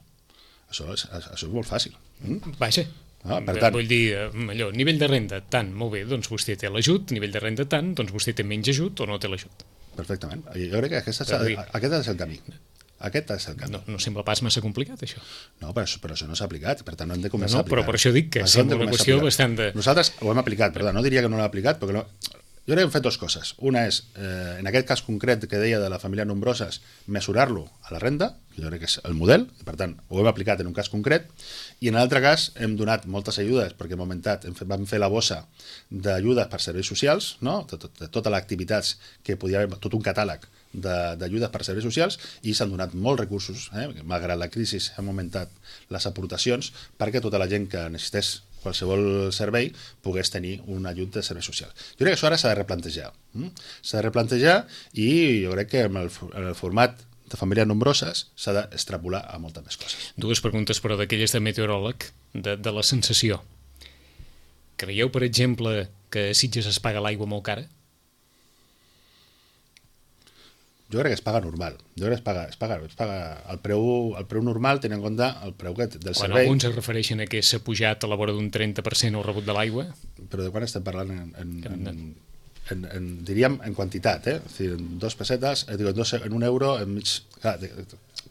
Això és, això és molt fàcil. Mm? Vaja, ah, per tant... vull dir, allò, nivell de renda tant, molt bé, doncs vostè té l'ajut, nivell de renda tant, doncs vostè té menys ajut o no té l'ajut. Perfectament. Jo crec que aquest, és, aquest és el camí. Aquest és el camí. No, no sembla pas massa complicat, això. No, però, però això no s'ha aplicat, per tant no hem de començar no, no, a aplicar. Però per això dic que això sembla una qüestió bastant de... Nosaltres ho hem aplicat, perdó, no diria que no l'hem aplicat, perquè no... Jo crec que hem fet dues coses. Una és, eh, en aquest cas concret que deia de la família nombroses, mesurar-lo a la renda, que jo crec que és el model, i per tant ho hem aplicat en un cas concret, i en l'altre cas hem donat moltes ajudes, perquè hem augmentat, hem fet, vam fer la bossa d'ajudes per serveis socials, no? de, de, de totes les activitats que podia haver, tot un catàleg d'ajudes per serveis socials, i s'han donat molts recursos, eh? Malgrat la crisi hem augmentat les aportacions perquè tota la gent que necessités qualsevol servei pogués tenir un ajut de serveis socials. Jo crec que això ara s'ha de replantejar. Mm? S'ha de replantejar i jo crec que en el, en el format de famílies nombroses s'ha d'extrapolar a moltes més coses. Dues preguntes, però, d'aquelles de meteoròleg, de, de la sensació. Creieu, per exemple, que a Sitges es paga l'aigua molt cara? Jo crec que es paga normal. Jo crec que es paga, es paga, es paga el, preu, el preu normal, tenint en compte el preu que, del quan servei. Quan alguns es refereixen a que s'ha pujat a la vora d'un trenta per cent el rebut de l'aigua... Però de quan estem parlant en, en, en, en, en, en, diríem en quantitat, eh? O sigui, en dos pessetes, eh, dic, en, dos, en un euro, en mig... Clar,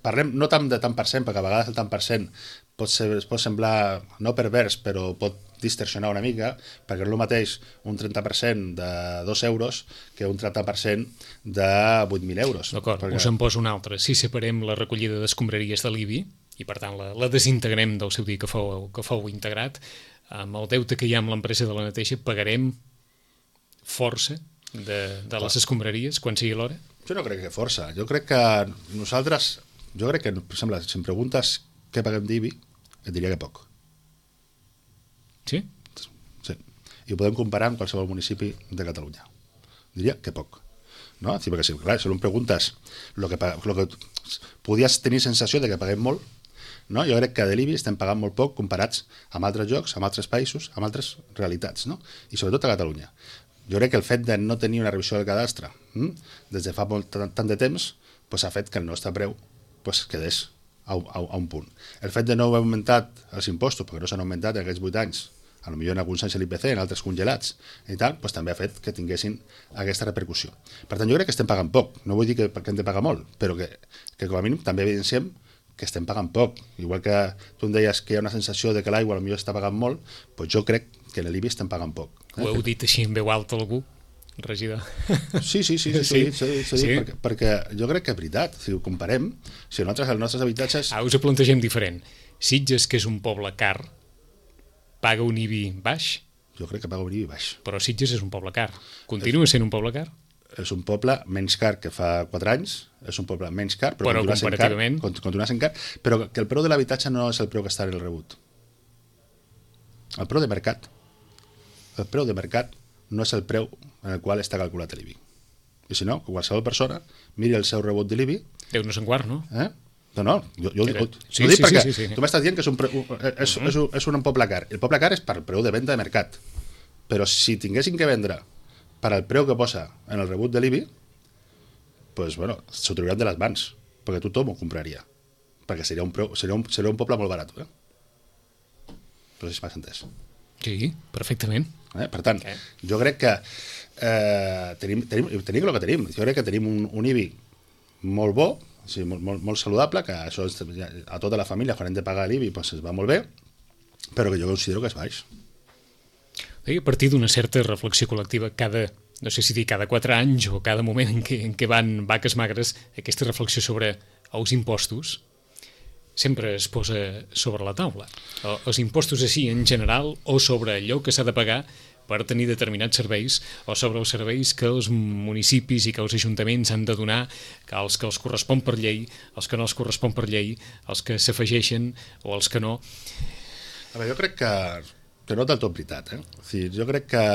parlem no tant de tant per cent, perquè a vegades el tant per cent pot, ser, pot semblar no pervers, però pot distorsionar una mica, perquè no és el mateix un trenta per cent de dos euros que un trenta per cent de vuit mil euros. D'acord, perquè... us en poso un altre. Si separem la recollida d'escombraries de l'I B I, i per tant la, la desintegrem del seu dia que fou, que fou integrat, amb el deute que hi ha amb l'empresa de la neteja, pagarem força de, de les escombraries quan sigui l'hora? Jo no crec que força. Jo crec que nosaltres, jo crec que, per exemple, si em preguntes què paguem d'I B I, et diria que poc. Sí? Sí. I ho podem comparar amb qualsevol municipi de Catalunya. Diria que poc. No? Sí, perquè si, clar, si em preguntes lo que, lo que podies tenir sensació de que paguem molt, no? Jo crec que de l'I B I estem pagant molt poc comparats amb altres llocs, amb altres països, amb altres realitats, no? I sobretot a Catalunya. Jo crec que el fet de no tenir una revisió del cadastre hm? des de fa molt, tant, tant de temps pues, ha fet que el nostre preu pues, quedés a, a, a un punt. El fet de no haver augmentat els impostos, perquè no s'han augmentat en aquests vuit anys, a lo millor en alguns anys l'I P C, en altres congelats i tal, pues, també ha fet que tinguessin aquesta repercussió. Per tant, jo crec que estem pagant poc. No vull dir que, que hem de pagar molt, però que, que com a mínim també evidenciem que estem pagant poc. Igual que tu em deies que hi ha una sensació de que l'aigua potser està pagant molt, doncs jo crec que en l'I B I estem pagant poc. Eh? Ho heu dit així en veu alta algú, regidor? Sí, sí, sí, sí, sí, sí, sí, sí, sí. Perquè, perquè jo crec que és veritat. Si ho comparem, si nosaltres els nostres habitatges... Ah, us ho plantegem diferent. Sitges, que és un poble car, paga un I B I baix? Jo crec que paga un I B I baix. Però Sitges és un poble car. Continua sent un poble car? És un poble menys car que fa quatre anys, és un poble menys car, però, però continua sent comparativament... car, continua sent car, però que el preu de l'habitatge no és el preu que està en el rebut. El preu de mercat. El preu de mercat no és el preu en el qual està calculat l'I B I. I si no, qualsevol persona miri el seu rebut de l'I B I... Déu no se'n guard, no? Eh? No, no, jo, jo, jo, sí, ho dic sí, perquè sí, sí, sí. tu m'estàs dient que és un, pre... és, és, un, és un poble car. El poble car és per preu de venda de mercat. Però si tinguessin que vendre per al preu que posa en el rebut de l'I B I, pues, bueno, s'ho trauran de les mans, perquè tothom ho compraria. Perquè seria un, preu, seria un, seria un poble molt barat. Eh? No sé si m'has entès. Sí, perfectament. Eh? Per tant, okay. Jo crec que eh, tenim, tenim, tenim el que tenim. Jo crec que tenim un, un I B I molt bo, o sigui, molt, molt, molt saludable, que això a tota la família, quan hem de pagar l'I B I, doncs es va molt bé, però que jo considero que és baix. I a partir d'una certa reflexió col·lectiva, cada, no sé si dir cada quatre anys o cada moment en què, en què van vaques magres, aquesta reflexió sobre els impostos sempre es posa sobre la taula. Els impostos així en general o sobre allò que s'ha de pagar per tenir determinats serveis o sobre els serveis que els municipis i que els ajuntaments han de donar, que els que els correspon per llei, els que no els correspon per llei, els que s'afegeixen o els que no. A veure, jo crec que, que no del tot veritat. Eh? O sigui, jo crec que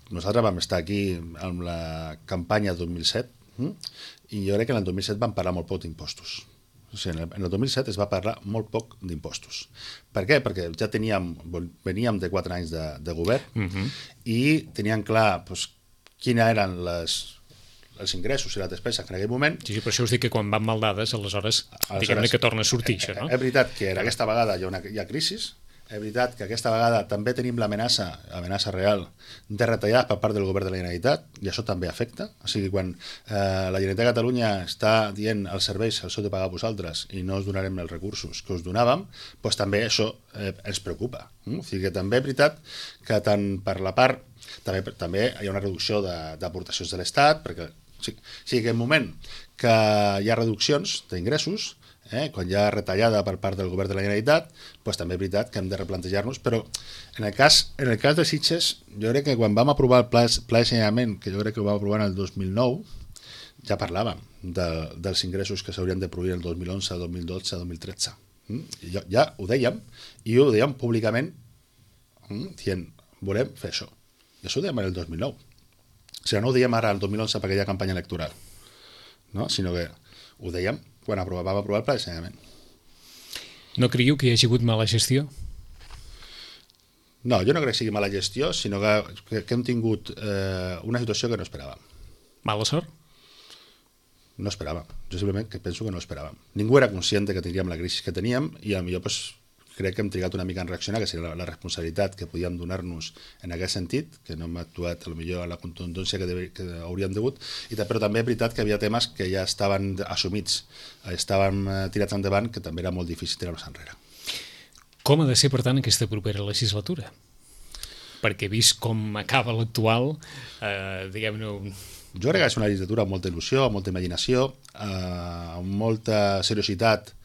nosaltres vam estar aquí amb la campanya dos mil set hm? i jo crec que en el dos mil set vam parlar molt poc d'impostos. O sigui, en el dos mil set es va parlar molt poc d'impostos. Per què? Perquè ja teníem, veníem de quatre anys de, de govern uh-huh. i teníem clar doncs, quina eren les, els ingressos i la despesa que en aquell moment... Sí, sí, per això us dic que quan van mal dades, aleshores, aleshores diguem-ne que torna a sortir, això, no? És veritat que aquesta vegada hi ha, una, hi ha crisi, és veritat que aquesta vegada també tenim l'amenaça, amenaça real, de retallades per part del govern de la Generalitat, i això també afecta. O sigui, quan eh, la Generalitat de Catalunya està dient als serveis els heu de pagar vosaltres i no us donarem els recursos que us donàvem, doncs també això eh, ens preocupa. Mm? O sigui que també és veritat que tant per la part... També, també hi ha una reducció d'aportacions de, de l'Estat, perquè o sigui, o sigui que en el moment que hi ha reduccions d'ingressos, Eh, quan hi ha retallada per part del govern de la Generalitat, doncs també és veritat que hem de replantejar-nos, però en el cas, en el cas de Sitges, jo crec que quan vam aprovar el pla, pla de saneament, que jo crec que ho vam aprovar en el dos mil nou, ja parlàvem de, dels ingressos que s'haurien de produir el dos mil onze, dos mil dotze, dos mil tretze. Mm? I jo, ja ho dèiem, i ho dèiem públicament, mm? dient, volem fer això. I això ho dèiem en el dos mil nou. O sigui, no ho dèiem ara el dos mil onze perquè hi ha campanya electoral, no? Sinó que ho dèiem quan vam aprovar el pla de saneament. No creieu que hi hagi hagut mala gestió? No, jo no crec que sigui mala gestió, sinó que, que, que hem tingut eh, una situació que no esperàvem. Mala sort? No esperàvem. Jo simplement que penso que no esperàvem. Ningú era conscient que tindríem la crisi que teníem i potser pues, crec que hem trigat una mica en reaccionar, que seria la, la responsabilitat que podíem donar-nos en aquest sentit, que no hem actuat potser a la contundència que, debe, que hauríem degut, i, però també és veritat que havia temes que ja estaven assumits, estaven tirats endavant, que també era molt difícil tirar-los enrere. Com ha de ser, per tant, aquesta propera legislatura? Perquè vist com acaba l'actual, eh, diguem-ne... Jo crec que és una legislatura amb molta il·lusió, amb molta imaginació, eh, amb molta seriositat,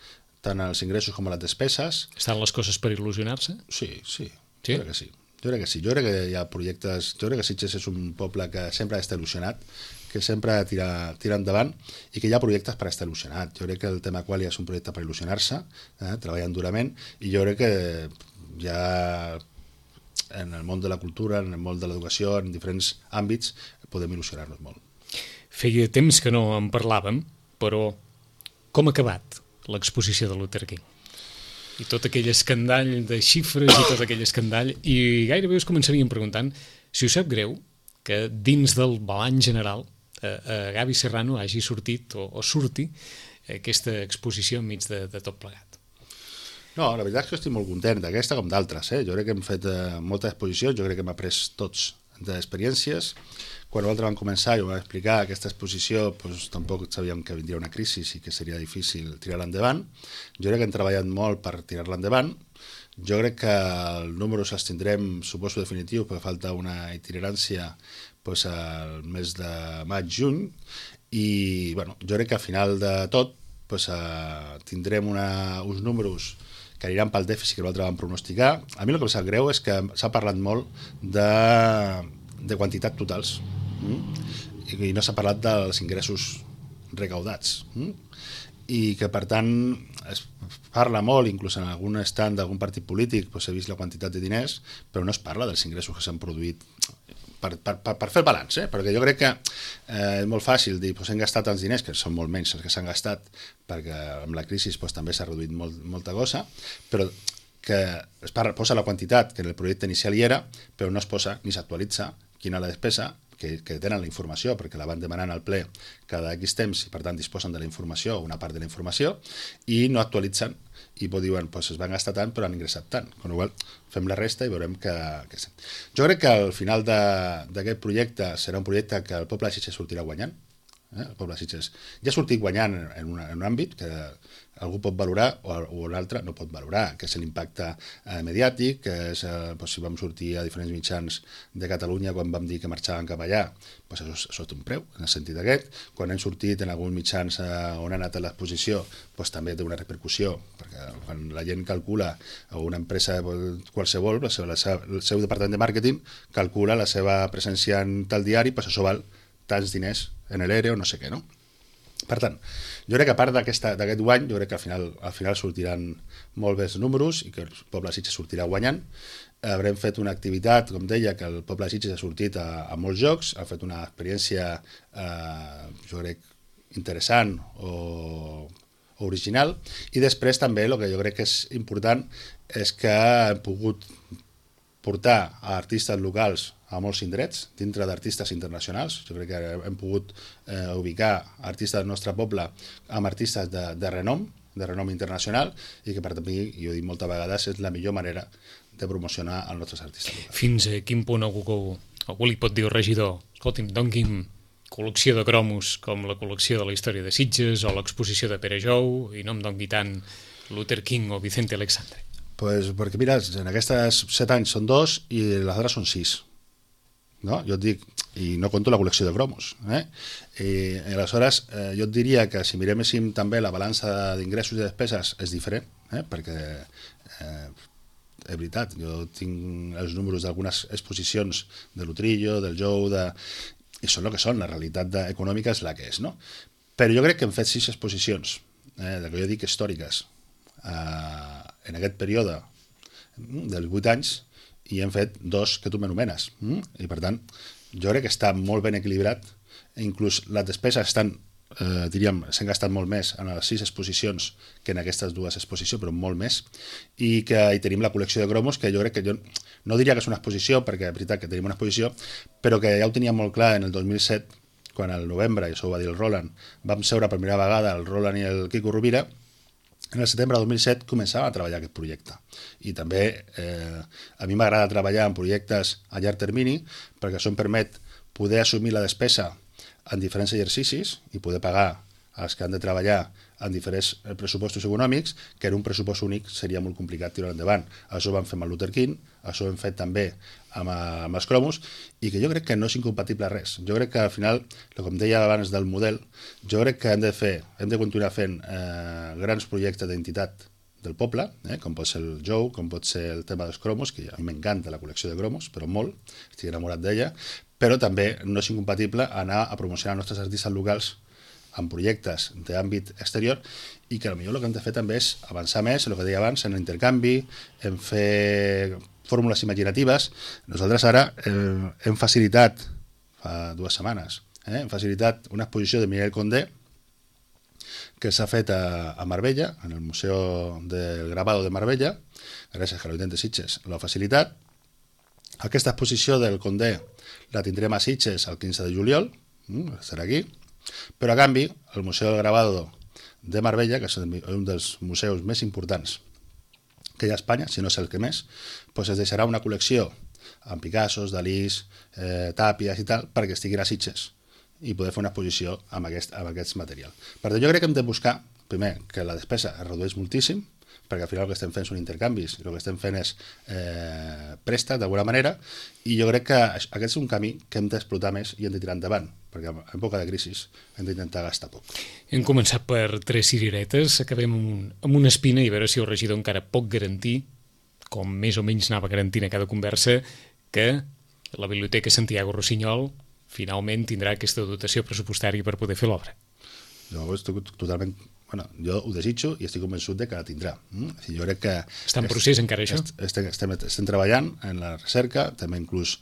tant els ingressos com les despeses. Estan les coses per il·lusionar-se? Sí, sí, sí? Jo crec que sí. Jo crec que sí. Jo crec que hi ha projectes... Jo crec que Sitges és un poble que sempre està il·lusionat, que sempre tira, tira endavant i que hi ha projectes per estar il·lusionat. Jo crec que el tema Qualia és un projecte per il·lusionar-se, eh, treballant durament, i jo crec que hi ha en el món de la cultura, en el món de l'educació, en diferents àmbits, podem il·lusionar-nos molt. Feia temps que no en parlàvem, però com ha acabat l'exposició de Luther King? I tot aquell escandall de xifres i tot aquell escandall, i gairebé us començaríem preguntant si us sap greu que dins del balanç general a, a Gavi Serrano hagi sortit o, o surti aquesta exposició enmig de, de tot plegat. No, la veritat és que estic molt content d'aquesta com d'altres. Eh? Jo crec que hem fet eh, moltes exposicions, jo crec que hem après tots d'experiències. Quan nosaltres vam començar i ho vam explicar, aquesta exposició doncs, tampoc sabíem que vindria una crisi i que seria difícil tirar-la endavant. Jo crec que hem treballat molt per tirar-la endavant. Jo crec que el número s'estindrem, suposo definitiu, perquè falta una itinerància doncs, al mes de maig-juny, i bueno, jo crec que al final de tot doncs, eh, tindrem una, uns números que aniran pel dèficit que nosaltres vam pronosticar. A mi el que em sap greu és que s'ha parlat molt de, de quantitat totals mm? i no s'ha parlat dels ingressos recaudats mm? i que per tant es parla molt, inclús en algun stand d'algun partit polític doncs, s'ha vist la quantitat de diners, però no es parla dels ingressos que s'han produït per, per, per, per fer el balanç, eh? Perquè jo crec que eh, és molt fàcil dir doncs hem gastat tants diners, que són molt menys els que s'han gastat, perquè amb la crisi doncs, també s'ha reduït molt, molta cosa, però que es parla, posa la quantitat que en el projecte inicial hi era, però no es posa ni s'actualitza quina la despesa, que, que tenen la informació, perquè la van demanant al ple cada X temps i per tant disposen de la informació, una part de la informació, i no actualitzen i diuen, doncs es van gastar tant però han ingressat tant, amb la qual cosa fem la resta i veurem que... que... Jo crec que al final d'aquest projecte serà un projecte que el poble de Sitges sortirà guanyant, eh, el poble de Sitges. Ja ha sortit guanyant en, una, en un àmbit que algú pot valorar o, o un altre no pot valorar, que és l'impacte eh, mediàtic, que és, eh, doncs, si vam sortir a diferents mitjans de Catalunya quan vam dir que marxàvem cap allà, doncs això, això té un preu, en el sentit aquest. Quan hem sortit en alguns mitjans eh, on ha anat a l'exposició, doncs també té una repercussió, perquè quan la gent calcula, o una empresa qualsevol, la seva, la seva, el seu departament de màrqueting calcula la seva presència en tal diari, doncs això val tants diners en l'E R E o no sé què, no? Per tant, jo crec que a part d'aquest guany, jo crec que al final, al final sortiran molt bé els números i que el poble de Sitges sortirà guanyant. Haurem fet una activitat, com deia, que el poble de Sitges ha sortit a, a molts jocs, ha fet una experiència, eh, jo crec, interessant o, o original, i després també el que jo crec que és important és que hem pogut portar a artistes locals a molts indrets, dintre d'artistes internacionals. Jo crec que hem pogut eh, ubicar artistes del nostre poble amb artistes de, de renom, de renom internacional, i que per mi, jo he dit moltes vegades, és la millor manera de promocionar els nostres artistes locals. Fins a quin punt algú, algú li pot dir al regidor, escolti'm, doni'm col·lecció de cromos com la col·lecció de la història de Sitges o l'exposició de Pere Jou, i no em doni tant Luther King o Vicente Alexandre? Pues perquè mira, en aquestes set anys són dos i les altres són sis. No? Jo et dic, i no conto la col·lecció de cromos, eh? I, i aleshores eh, jo et diria que si miréssim també la balança d'ingressos i despeses és diferent, eh? Perquè eh, és veritat, jo tinc els números d'algunes exposicions de l'Utrillo, del Jou, de... i són el que són, la realitat econòmica és la que és, no? Però jo crec que hem fet sis exposicions, eh, del que jo dic històriques, eh, en aquest període dels vuit anys, i hem fet dos que tu m'anomenes. Mm? I per tant, jo crec que està molt ben equilibrat, inclús les despeses estan, eh, diríem, s'han gastat molt més en les sis exposicions que en aquestes dues exposicions, però molt més, i que hi tenim la col·lecció de cromos, que jo crec que jo no diria que és una exposició, perquè és veritat que tenim una exposició, però que ja ho teníem molt clar en el dos mil set, quan al novembre, i això ho va dir el Roland, vam seure per primera vegada el Roland i el Quico Rovira. En el setembre del dos mil set començava a treballar aquest projecte, i també eh, a mi m'agrada treballar en projectes a llarg termini perquè això em permet poder assumir la despesa en diferents exercicis i poder pagar els que han de treballar en diferents pressupostos econòmics, que en un pressupost únic seria molt complicat tirar endavant. Això ho vam fer amb el Luther King, això ho hem fet també amb, amb els cromos, i que jo crec que no és incompatible res. Jo crec que al final, com deia abans del model, jo crec que hem de fer, hem de continuar fent eh, grans projectes d'identitat del poble, eh, com pot ser el Jou, com pot ser el tema dels cromos, que a mi m'encanta la col·lecció de cromos, però molt, estic enamorat d'ella, però també no és incompatible anar a promocionar els nostres artistes locals en projectes d'àmbit exterior, i que potser el que hem de fer també és avançar més, el que deia abans, en l'intercanvi, en fer fórmules imaginatives. Nosaltres ara eh, hem facilitat, fa dues setmanes, eh, hem facilitat una exposició de Miguel Condé que s'ha fet a, a Marbella, en el Museu del Grabado de Marbella, gràcies a l'Ajuntament de Sitges l'ha facilitat. Aquesta exposició del Condé la tindrem a Sitges el quinze de juliol, estarà aquí, però a canvi el Museu del Grabado de Marbella, que és un dels museus més importants que hi ha a Espanya, si no és el que més, doncs es deixarà una col·lecció amb Picassos, Dalís, eh, Tàpies i tal, perquè estiguin a Sitges i poder fer una exposició amb aquest, amb aquest material. Per tant, jo crec que hem de buscar, primer, que la despesa es redueix moltíssim, perquè al final el que estem fent són intercanvis, i el que estem fent és eh, préstec d'alguna manera, i jo crec que aquest és un camí que hem d'explotar més i hem de tirar endavant, perquè en època de crisi hem d'intentar gastar poc. Hem començat per tres cireretes, acabem amb, un, amb una espina, i a veure si el regidor encara pot garantir, com més o menys anava garantint a cada conversa, que la Biblioteca Santiago Rossinyol finalment tindrà aquesta dotació pressupostària per poder fer l'obra. Jo estic totalment... Bueno, jo ho desitjo i estic convençut de que la tindrà. Mm? Jo crec que... Està en procés encara això? Estem, estem, estem treballant en la recerca, també inclús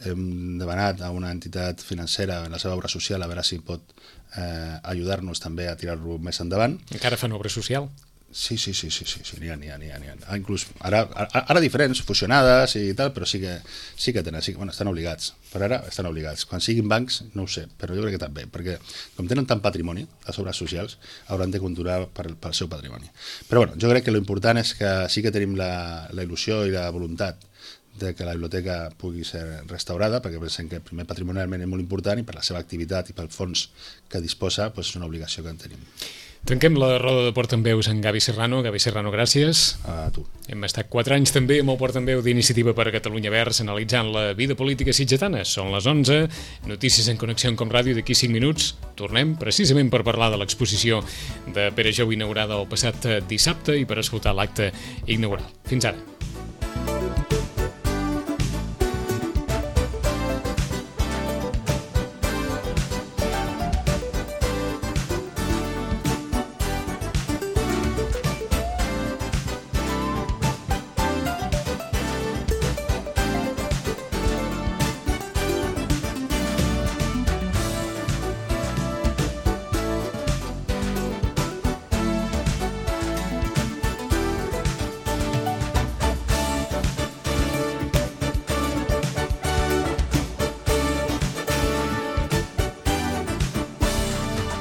hem demanat a una entitat financera en la seva obra social a veure si pot eh, ajudar-nos també a tirar-lo més endavant. Encara fan obra social? Sí, sí, sí, sí, sí, sí, n'hi ha, n'hi ha, n'hi ha, n'hi ha. Ah, inclús ara, ara, ara diferents, fusionades i tal, però sí que, sí que tenen, sí que, bueno, estan obligats. Per ara estan obligats. Quan siguin bancs, no ho sé, però jo crec que també, perquè com tenen tant patrimoni, les obres socials, hauran de continuar per, pel seu patrimoni. Però bueno, jo crec que l'important és que sí que tenim la, la il·lusió i la voluntat de que la biblioteca pugui ser restaurada, perquè pensem que primer patrimonialment és molt important i per la seva activitat i pel fons que disposa doncs és una obligació que en tenim. Tanquem la roda de Portaveus amb Gavi Serrano. Gavi Serrano, gràcies. A tu. Hem estat quatre anys també amb el Portaveu d'Iniciativa per Catalunya Verds analitzant la vida política sitgetana. Són les onze, notícies en connexió amb Com Ràdio d'aquí cinc minuts. Tornem precisament per parlar de l'exposició de Pere Jou inaugurada el passat dissabte i per escoltar l'acte inaugural. Fins ara.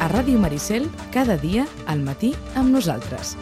A Ràdio Maricel, cada dia al matí amb nosaltres.